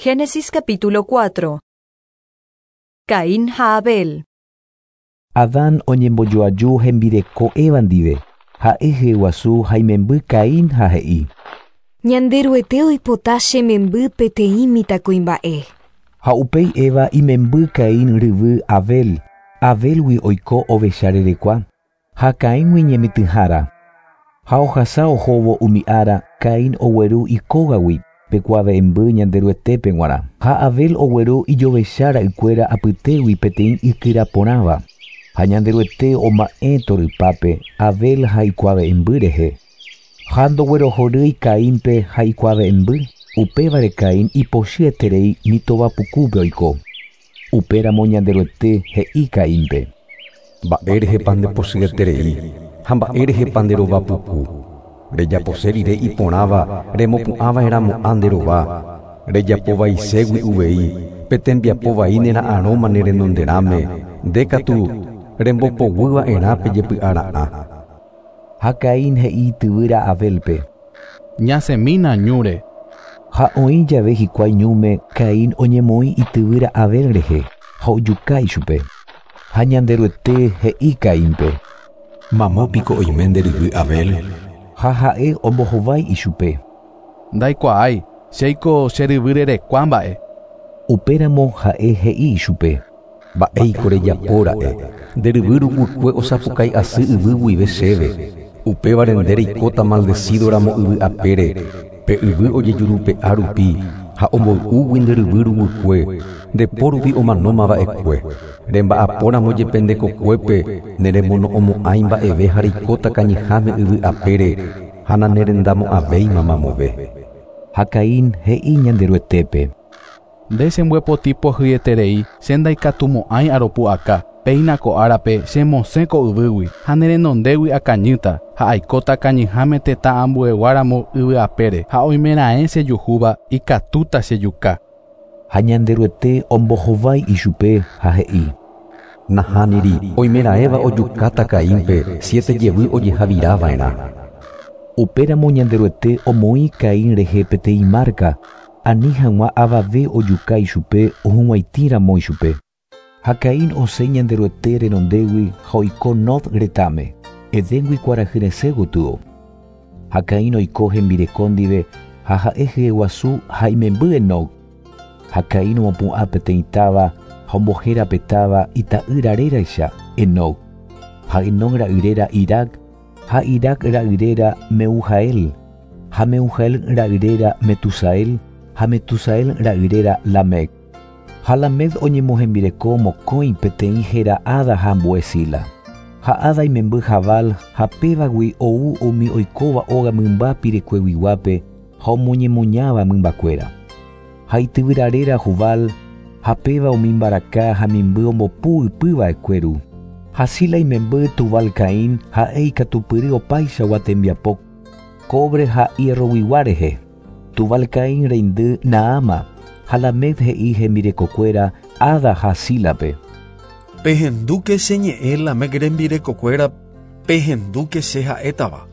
Génesis capítulo 4. Caín ha Abel. Adán oñembojoaju hembireko Eva ndive, ha'e hyeguasu ha imemby Caín ha he'i. Ñanderuete oipota che memby peteĩ mitãkuimba'e. Ha upéi Eva imemby Caín ryvy Abel, Abélgui oiko ovecha rerekua, ha Caíngui ñemitỹhára. Ha ohasa ohóvo umi ára, Caín ogueru ikógagui pe kuave'ẽmby Ñanderuetépe g̃uarã. Ha Abel ogueru ijovecha ra'ykuéra apytégui peteĩ ikyra porãva. Ha Ñanderuete oma'ẽ torypápe Abel ha ikuave'ẽmby rehe. Ha ndoguerohorýi Caínpe ha ikuave'ẽmby, upévare Caín ipochyeterei mitovapukúpe oiko. Upéramo Ñanderuete he'i Caínpe. Mba'érehepa ndepochyeterei ha mba'érehepa nderovapuku. Rejapose rire iporãva remopu'ãva'erãmo'ã nde rova. Rejapo vaiségui uvei pe tembiapo vai nera'arõma ne renonderãme, nde katu rembopoguyva'erã pe jepy'ara'ã. Ha Caín he'i tyvýra Abélpe. Ñasẽmína ñúre. Ha oĩ jave hikuái ñúme Caín oñemoĩ ityvýra Abel rehe ha ojuka ichupe. Ha Ñanderuete he'i Caínpe. Mamo piko oime nde ryvy Abel. Ha ha'e ombohovái ichupe. Ndaikuaái, chéiko che ryvy rerekua mba'e. Upéramo ha'e he'i ichupe. Mba'éiko rejapóra'e, nde ryvy ruguykue osapukái asy yvy guive chéve. Upévare nde reikóta maldecídoramo yvy apére, pe yvy ojejurupe'a rupi ha omboy'úgui nde ryvy ruguykue, nde po rupi omanómava'ekue. Remba'apóramo jepe nde kokuépe, neremono'õmo'ãi mba'eve ha reikóta kañyháme yvy apére ha nanerendamo'ãvéima mamove. Ha Caín he'i Ñanderuetépe. Nde chembyepoti pohýieterei, che ndaikatumo'ãi aropu'aka, péina ko árape chemosẽ ko yvýgui ha nerenondégui akañýta ha aikóta kañyháme tetã ambueguáramo yvy apére ha oimeraẽ chejuhúva ikatúta chejuka. Ha Ñanderuete ombohovái ichupe ha he'i. Nahániri, oimeraẽva ojukáta Caínpe, siete jevy ojehavirava'erã. Upéramo Ñanderuete omoĩ Caín rehe peteĩ marca, ani hag̃ua avave ojuka ichupe ohug̃uaitĩramo ichupe. Ha Caín osẽ Ñanderuete renondégui ha oiko Nod retãme, Edéngui kuarahyresẽ gotyo. Ha Caín oiko hembireko ndive ha ha'e hyeguasu ha imemby Enoc. Ha Caín omopu'ã peteĩ táva ha ombohéra pe táva ita'ýra réraicha Enoc. Ha Enoc ra'yréra Irac, ha Irac ra'yréra Meujael, ha Meujael ra'yréra Metusael, ha Metusael ra'yréra Lamec. Ha Lamec oñemohembireko mokõi peteĩ héra Ada ha ambue Zila. Ha Ada imemby Jabal ha pévagui ou umi oikóva óga mymba pirekueguiguápe ha omoñemoñáva mymbakuéra. Ha ityvyra réra Jubal, ha péva umi mbaraka ha mimby ombopu ypyva'ekue ru. Ha Zila imemby Tubal Caín ha'e ikatupyry opaichagua tembiapo cobre ha hierroguigua rehe. Tubal Caín reindy Naama ha Lamec he'i hembirekokuéra Ada ha Zílape. Pehendúke che ñe'ẽ Lamec rembirekokuéra, pehendúke che ha'étava.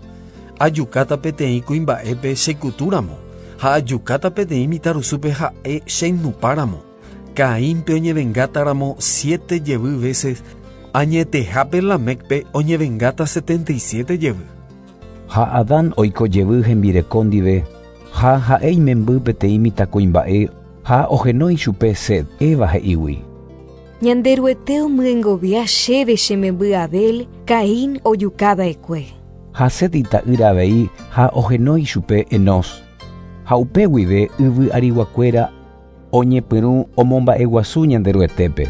Ajukáta peteĩ kuimba'épe chekutúramo ha ajukáta peteĩ mitãrusúpe ha'e cheinupáramo. Caínpe oñevengátaramo siete jevy veces, añetehápe Lamecpe oñevengáta 77 jevy. Ha Adán oiko jevy hembireko ndive, ha ha'e imemby peteĩ mitãkuimba'e ha ohenói chupe Set, Eva he'ígui. Ñanderuete omyengovia chéve che memby Abel, Caín ojukava'ekue. Ha Set ita'ýra avei ha ohenói chupe Enos. Ha upe guive yvy ariguakuéra oñepyrũ omomba'eguasu Ñanderuetépe.